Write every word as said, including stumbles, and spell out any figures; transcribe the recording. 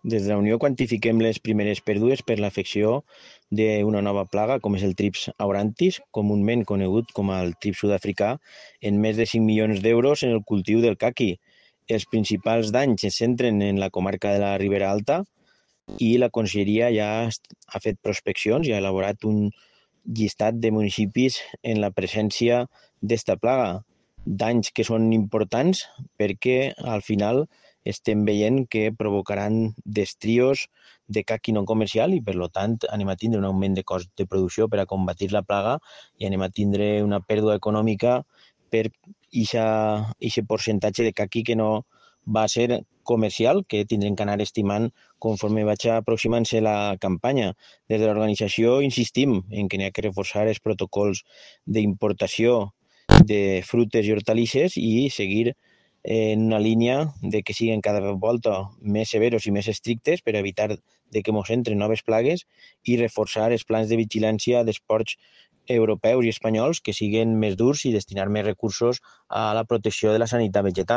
Des de la Unió quantifiquem les primeres pèrdues per l'afecció d'una nova plaga, com és el trips aurantis, comúment conegut com el trips sud-africà, en més de cinc milions d'euros en el cultiu del caqui. Els principals danys es centren en la comarca de la Ribera Alta i la Conselleria ja ha fet prospeccions i ha elaborat un llistat de municipis en la presència d'esta plaga. Danys que són importants perquè al final estem veient que provocaran destrios de caqui no comercial i per tant anem a tindre un augment de cost de producció per a combatir la plaga i anem a tindre una pèrdua econòmica per aquest percentatge de caqui que no va ser comercial, que tindrem que anar estimant conforme vaig aproximant-se la campanya. Des de l'organització insistim en que n'hi ha que reforçar els protocols d'importació de frutes i hortalisses i seguir en una línia de que siguin cada volta més severos i més estrictes per evitar de que mos entren noves plagues i reforçar els plans de vigilància dels ports europeus i espanyols que siguin més durs i destinar més recursos a la protecció de la sanitat vegetal.